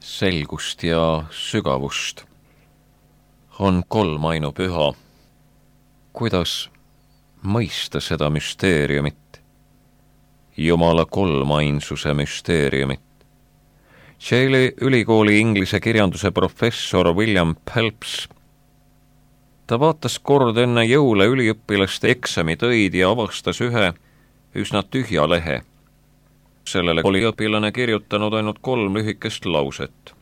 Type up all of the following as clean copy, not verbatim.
selgust ja sügavust. On kolm ainupüha. Kuidas mõista seda müsteeriumit? Jumala kolmainsuse müsteeriumit. Yale'i ülikooli inglise kirjanduse professor William Phelps. Ta vaatas kord enne jõule üliõpilaste eksamitöid ja avastas ühe üsna tühja lehe. Sellele oli õpilane kirjutanud ainult 3 lühikest lauset.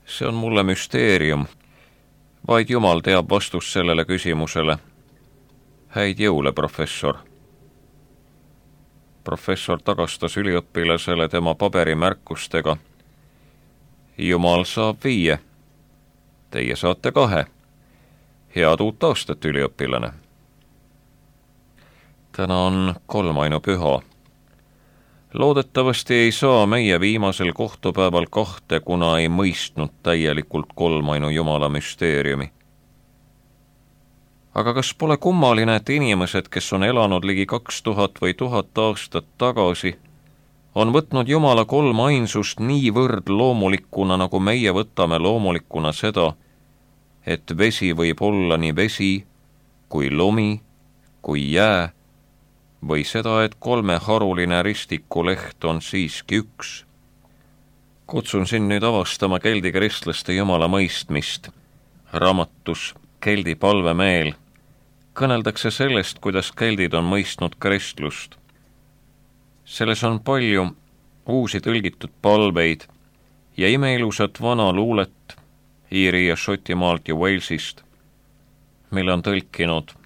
See on mulle müsteerium. Vaid Jumal teab vastust sellele küsimusele. Häid jõule, professor. Professor tagastas üliõpilasele tema paberimärkustega. Jumal saab 5. Teie saate 2. Head uut aastat, üliõpilane. Täna on kolmainupüha. Loodetavasti ei saa meie viimasel kohtupäeval 2, kuna ei mõistnud täielikult kolmainu Jumala müsteeriumi. Aga kas pole kummaline, et inimesed, kes on elanud ligi 2000 või 1000 aastat tagasi, on võtnud Jumala kolmainsust niivõrd loomulikuna, nagu meie võtame loomulikuna seda, et vesi võib olla nii vesi, kui lumi, kui jää, või seda, et 3 haruline ristikuleht on siiski 1. Kutsun sind nüüd avastama keldi kristlaste Jumala mõistmist. Raamatus Keldi palvemeel kõneldakse sellest, kuidas keldid on mõistnud kristlust. Selles on palju uusi tõlgitud palveid ja imeilusat vana luulet Iiri ja Šotimaalt ja Walesist, mille on tõlkinud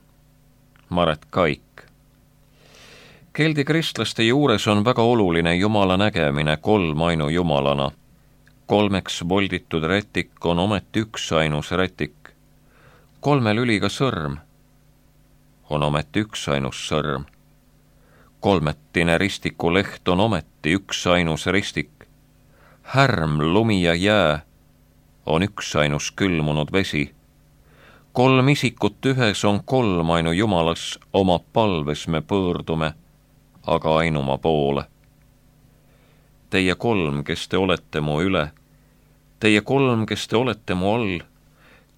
Maret Kaik. Keldi kristlaste juures on väga oluline Jumala nägemine kolmainu Jumalana. 3 volditud rätik on ometi üksainus rätik. 3 lüliga sõrm on ometi üksainus sõrm. 3 ristikuleht on ometi üksainus ristik. Härm, lumi ja jää on üksainus külmunud vesi. 3 isikut ühes on kolmainu Jumalas, oma palves me pöördume, aga ainuma poole. Teie 3, kes te olete mu üle, teie 3, kes te olete mu all,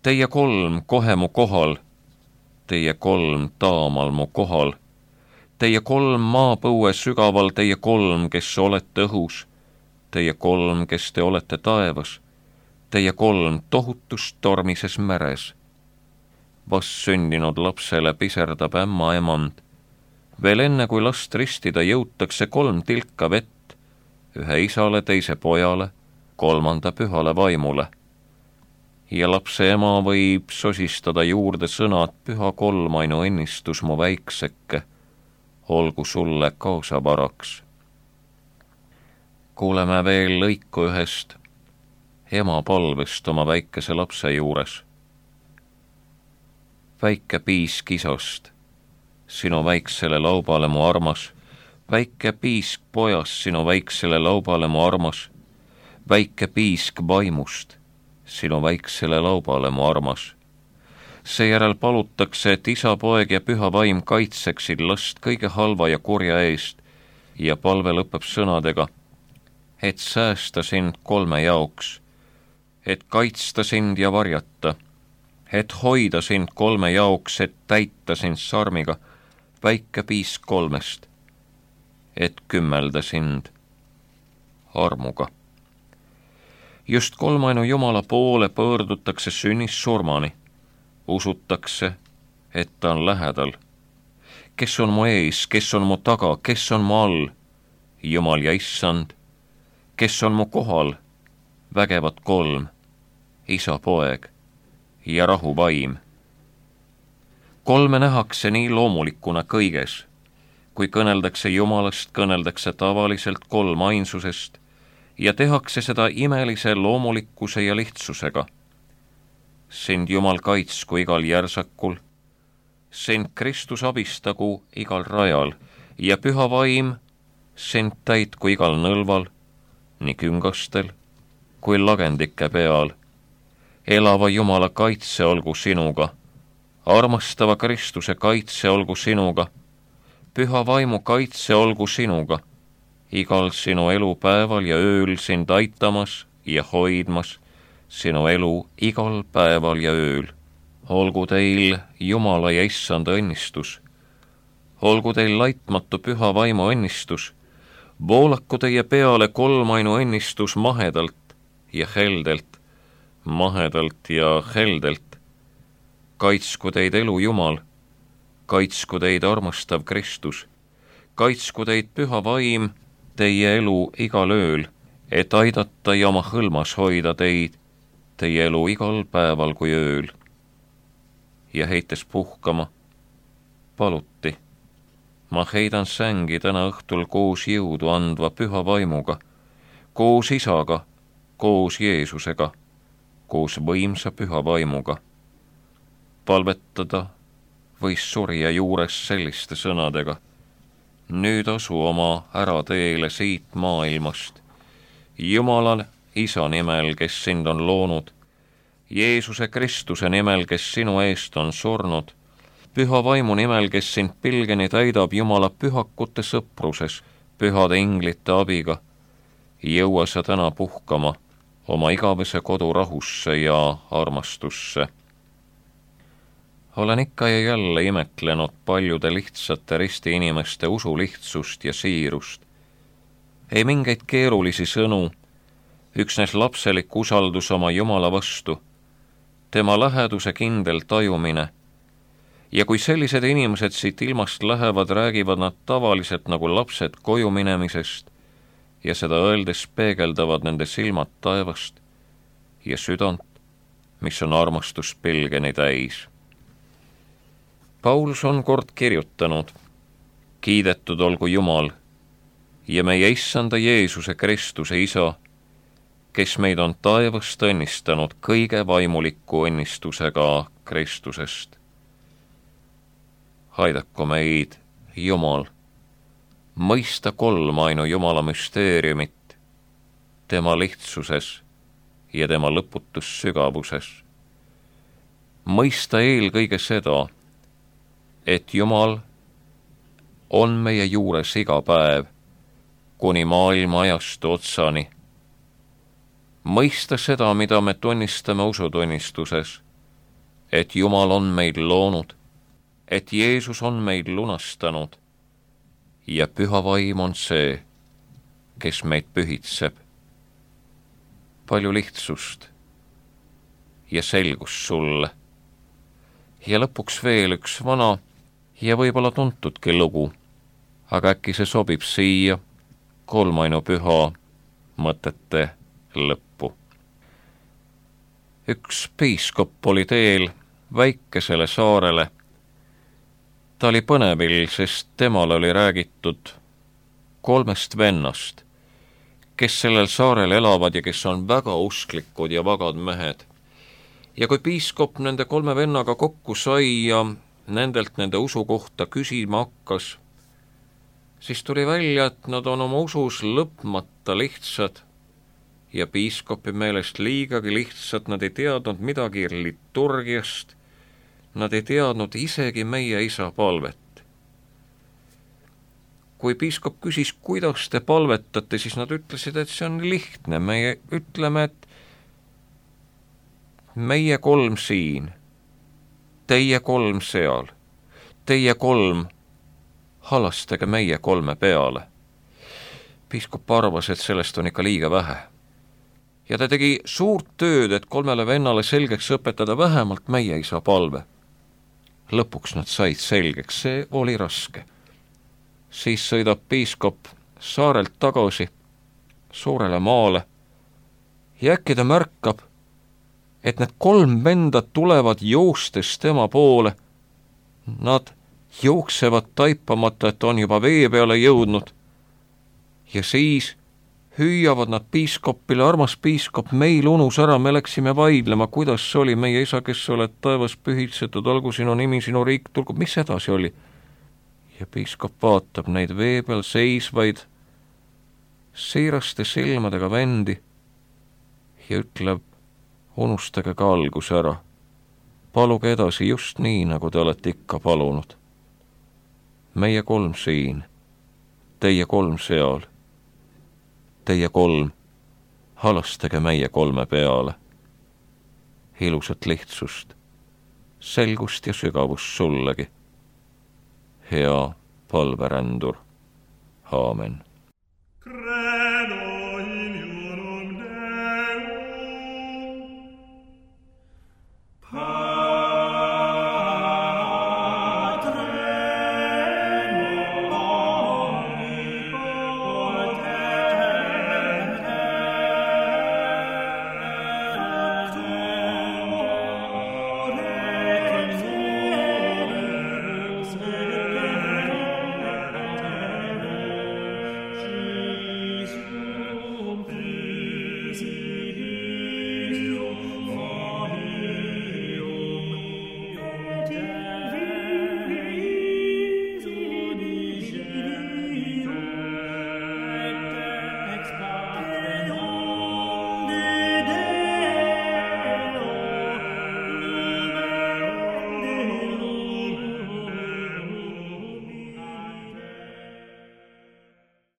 teie 3 kohe mu kohal, teie 3 taamal mu kohal, teie 3 maapõue sügaval, teie 3, kes olete õhus, teie 3, kes te olete taevas, teie 3 tohutus tormises meres. Vast sündinud lapsele piserdab ämma emand. Veel enne, kui last ristida jõutakse 3 tilka vett, ühe isale, teise pojale, 3. pühale vaimule. Ja lapse ema võib sosistada juurde sõnad, püha kolmainu õnnistus mu väikseke, olgu sulle kaasavaraks. Kuuleme veel lõiku ühest ema palvest oma väikese lapse juures. Väike piisk isast, sinu väiksele laubale mu armas, väike piisk pojas, sinu väiksele laubale mu armas, väike piisk vaimust, sinu väiksele laubale mu armas. Seejärel palutakse, et isa, poeg ja püha vaim kaitseksid last kõige halva ja kurja eest ja palve lõpeb sõnadega, et säästa sind 3 jaoks, et kaitsta sind ja varjata, et hoida sind 3 jaoks, et täita sind sarmiga, väike piisk 3, et kümmelda sind armuga. Just kolmainu Jumala poole pöördutakse sünnist surmani. Usutakse, et ta on lähedal. Kes on mu ees, kes on mu taga, kes on mu all? Jumal ja issand. Kes on mu kohal? Vägevad 3, isa, poeg ja rahu vaim. 3 nähakse nii loomulikuna kõiges. Kui kõneldakse Jumalast, kõneldakse tavaliselt kolmainsusest ja tehakse seda imelise loomulikkuse ja lihtsusega. Sind Jumal kaitsku igal järsakul, sind Kristus abistagu igal rajal ja püha vaim sind täitku igal nõlval, nii küngastel kui lagendike peal. Elava Jumala kaitse olgu sinuga, armastava Kristuse kaitse olgu sinuga, püha vaimu kaitse olgu sinuga, igal sinu elupäeval ja ööl sind aitamas ja hoidmas sinu elu igal päeval ja ööl. Olgu teil Jumala ja Issanda õnnistus. Olgu teil laitmatu püha vaimu õnnistus. Voolaku teie peale kolmainu õnnistus mahedalt ja heldelt, mahedalt ja heldelt. Kaitsku teid elu Jumal, kaitsku teid armastav Kristus, kaitsku teid püha vaim teie elu igal ööl, et aidata ja oma hõlmas hoida teid, teie elu igal päeval kui ööl. Ja heites puhkama, paluti, ma heidan sängi täna õhtul koos jõudu andva püha vaimuga, koos Isaga, koos Jeesusega, koos võimsa püha vaimuga. Palvetada võis surja juures selliste sõnadega. Nüüd asu oma ärateele siit maailmast. Jumala Isa nimel, kes sind on loonud, Jeesuse Kristuse nimel, kes sinu eest on surnud, püha vaimu nimel, kes sind pilgeni täidab Jumala pühakute sõpruses, pühade inglite abiga, jõua sa täna puhkama oma igavese kodu rahusse ja armastusse. Olen ikka ja jälle imetlenud paljude lihtsate risti inimeste usu lihtsust ja siirust. Ei mingeid keerulisi sõnu, üksnes lapselik usaldus oma Jumala vastu, tema läheduse kindel tajumine, ja kui sellised inimesed siit ilmast lähevad, räägivad nad tavaliselt nagu lapsed koju minemisest ja seda öeldes peegeldavad nende silmad taevast ja südant, mis on armastuspilgeni täis. Paulus on kord kirjutanud, kiidetud olgu Jumal ja meie Issanda Jeesuse Kristuse Isa, kes meid on taevast õnnistanud kõige vaimuliku õnnistusega Kristusest. Aidaku meid, Jumal, mõista kolmainu Jumala müsteeriumit, tema lihtsuses ja tema lõputus sügavuses. Mõista eelkõige seda, et Jumal on meie juures iga päev, kuni maailma ajastu otsani. Mõista seda, mida me tunnistame usutunnistuses, et Jumal on meid loonud, et Jeesus on meid lunastanud ja püha vaim on see, kes meid pühitseb. Palju lihtsust ja selgust sulle. Ja lõpuks veel üks vana ja võib-olla tuntudki lugu, aga äkki see sobib siia kolmainu püha mõtete lõppu. Üks piiskop oli teel väikesele saarele. Ta oli põnevil, sest temale oli räägitud 3 vennast, kes sellel saarel elavad ja kes on väga usklikud ja vagad mehed. Ja kui piiskop nende 3 vennaga kokku sai ja nendelt nende usu kohta küsima hakkas, siis tuli välja, et nad on oma usus lõpmata lihtsad ja piiskopi meelest liigagi lihtsalt, nad ei teadnud midagi liturgiast, nad ei teadnud isegi meie Isa palvet. Kui piiskop küsis, kuidas te palvetate, siis nad ütlesid, et see on lihtne, meie ütleme, et meie 3 siin, teie 3 seal, teie 3, halastage meie 3 peale. Piiskop arvas, et sellest on ikka liiga vähe. Ja ta tegi suurt tööd, et 3 vennale selgeks õpetada vähemalt meie Isa palve. Lõpuks nad said selgeks, see oli raske. Siis sõidab piiskop saarelt tagasi suurele maale ja äkki ta märkab, et need 3 venda tulevad joostes tema poole. Nad jooksevad taipamata, et on juba vee peale jõudnud. Ja siis hüüavad nad piiskopile, armas piiskop, meil unus ära, me läksime vaidlema, kuidas see oli, meie Isa, kes oled taevas pühitsetud, olgu sinu nimi, sinu riik, tulgu, mis edasi oli? Ja piiskop vaatab neid vee peal seisvaid siiraste silmadega vendi ja ütleb, unustage ka algus ära. Paluge edasi just nii, nagu te olete ikka palunud. Meie 3 siin, teie 3 seal, teie 3, halastage meie kolme peale. Ilusat lihtsust, selgust ja sügavust sullegi, hea palverändur. Aamen.